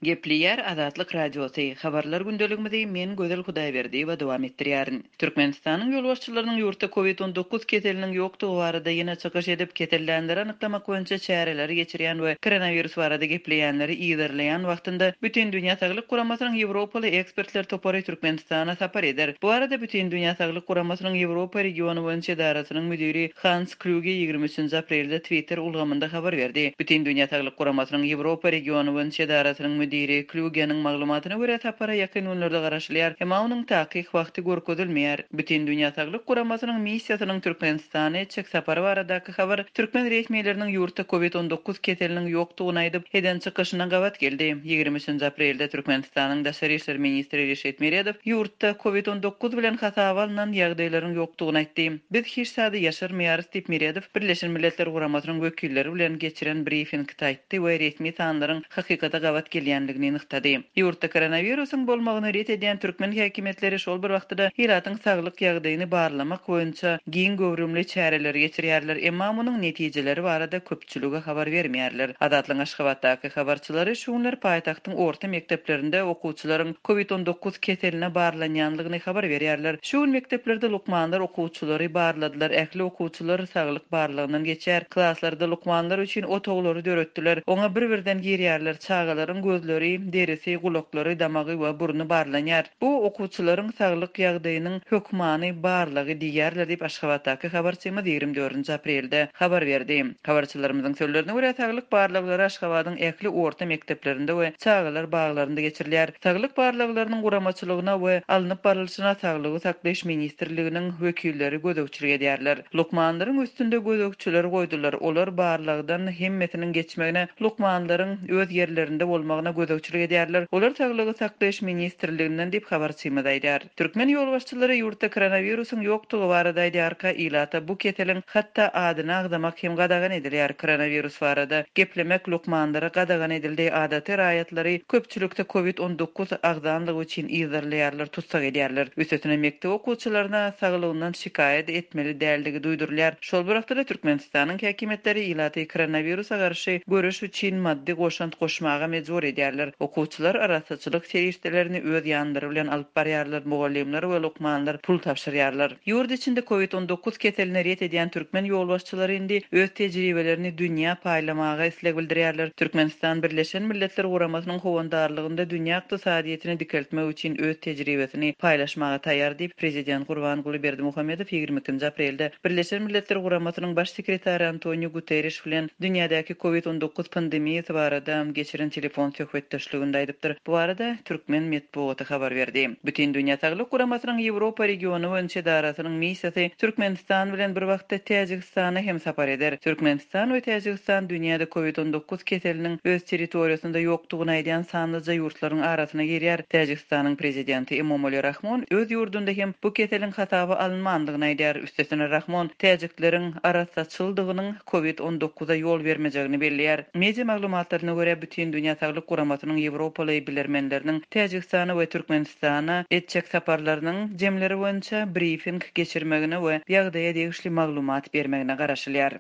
Gepleýär Azatlyk Radiosy, Habarlar gündeligimizi men Gözel Hudaýberdiýewa dowam etdirýärin. Türkmenistanyň ýolbaşçylarynyň ýurtda Covid 19 keseliniň ýokdugy barada ýene çykyş edip, kesellänleri anyklamak boýunça çäreleri geçirýän we koronawirus barada gepleýänleri yzarlaýan wagtynda Bütindünýä Saglyk Guramasynyň ýewropaly ekspertler topary Türkmenistana sapar eder. Bu barada Bütindünýä Saglyk Guramasynyň Ýewropa regiony boýunça edarasynyň müdiri Hans Klýuge 23-nji aprelde Twitter ulgamynda habar berdi. Bütindünýä Saglyk Guramasynyň Ýewropa regiony boýunça edarasynyň müdiri Klýugeniň maglumatyna görä, sapara ýakyn günlerde garaşylýar, emma onuň takyk wagty görkezilmeýär. Bütindünýä Saglyk Guramasynyň missiýasynyň Türkmenistana etjek sapary baradaky habar türkmen resmileriniň ýurtda Covid 19 keseliniň ýokdugyny aýdyp, eden çykyşyna gabat geldi. 23-nji aprelde Türkmenistanyň daşary işler ministri Reşit Meredow ýurtda Covid 19 bilen hasaba alnan ýagdaýlaryň ýokdugyny aýtdy. Biz hiç zady ýaşyrmaýarys diýip, Meredow Birleşen Milletler Guramasynyň wekilleri bilen geçiren brifingde aýtdy we resmi sanlaryň hakykata gabat gelýändigini nygtady. Ýurtda koronawirusyň bolmagyny ret edýän türkmen häkimiýetleri şol bir wagtda-da ilatyň saglyk ýagdaýyny barlamak boýunça giň göwrümli çäreleri geçirýärler, emma munuň netijeleri barada köpçülige habar bermeýärler. Azatlygyň Aşgabatdaky habarçylary şu günler paýtagtyň orta mekdeplerinde okuwçylaryň Covid 19 keseline barlanýanlygyny habar berýärler. Şu gün mekdeplerde lukmanlar okuwçylary barladylar, ähli okuwçylar saglyk barlagyndan geçýär. Klaslarda lukmanlar üçin otaglary döretdiler. Oňa bir-birden girýärler, çagalaryň gözleri, derisi, gulaklary, damagy we burny barlanýar. Bu okuwçylaryň saglyk ýagdaýynyň hökmany barlagy diýýärler diýip, Aşgabatdaky habarçymyz 24-nji aprelde habar berdi. Habarçylarymyzyň sözlerine görä, saglyk barlaglary Aşgabadyň ähli orta mekdeplerinde we çagalar baglarynda geçirilýär. Saglyk barlaglarynyň guramaçylygyna we alnyp barlyşyna Saglygy saklaýyş ministrliginiň wekilleri gözegçilik edýärler. Lukmanlaryň üstünde gözegçiler goýdular, olar barlagdan hemmesiniň geçmegine, lukmanlaryň öz ýerlerinde bolmagyna gözegçilik edýärler. Olar Saglygy saklaýyş ministrliginden diýip, habarçymyz aýdýar. Türkmen ýolbaşçylary ýurtda koronawirusyň ýokdugy barada aýdýarka, ilata bu keseliň hatda adyny agzamak hem gadagan edilýär. Koronawirus barada geplemek lukmanlara gadagan edildi, adaty raýatlary köpçülikde covid 19 agzanlygy üçin yzarlaýarlar, tussag edýärler. Üstesine mekdep okuwçylaryna saglygyndan şikaýat etmeli däldigi duýdurylýar. Şol bir wagtda-da Türkmenistanyň häkimiýetleri ilaty koronawirusa garşy göreş üçin maddy goşant goşmaga mejbur edýärler. Okuwçylar arassaçylyk serişdelerini öz ýanlary bilen alyp barýarlar, mugallymlar we lukmanlar pul tabşyrýarlar. Ýurt içinde covid 19 keselini ret edýän türkmen ýolbaşçylary indi öz tejribelerini dünýä paýlamaga isleg bildirýärler. Türkmenistan Birleşen Milletler Guramasynyň howandarlygynda dünýä ykdysadyýetini dikeltmek üçin öz tejribesini paýlaşmaga taýýar diýip, prezident Gurbanguly Berdimuhamedow 22-nji aprelde Birleşen Milletler Guramasynyň Baş sekretary Antoniu Guterriş bilen dünýädäki covid 19 pandemiýasy barada geçiren telefon söhbetdeşliginde aýdypdyr. Bu barada türkmen metbugaty habar berdi. Bütindünýä Saglyk Guramasynyň Ýewropa regiony boýunça edarasynyň missiýasy Türkmenistan bilen bir wagtda Täjigistana hem sapar eder. Türkmenistan we Täjigistan dünýäde covid 19 keseliniň öz territoriýasynda ýokdugyny aýdýan sanlyja ýurtlaryň arasyna girýär. Täjigistanyň prezidenti Emomali Rahmon öz ýurdunda hem bu keseliň hasaba alynmandygyny aýdýar. Üstesine Rahmon täjikleriň arassaçyldygynyň covid 19-a ýol bermejegini belleýär. Media maglumatlaryna görä, Bütindünýä Saglyk Guramasynyň ýewropaly bilermenleriniň Täjigistana we Türkmenistana etjek saparlarynyň jemleri boýunça brifing geçirmegine we ýagdaýa degişli maglumat bermegine garaşylýar.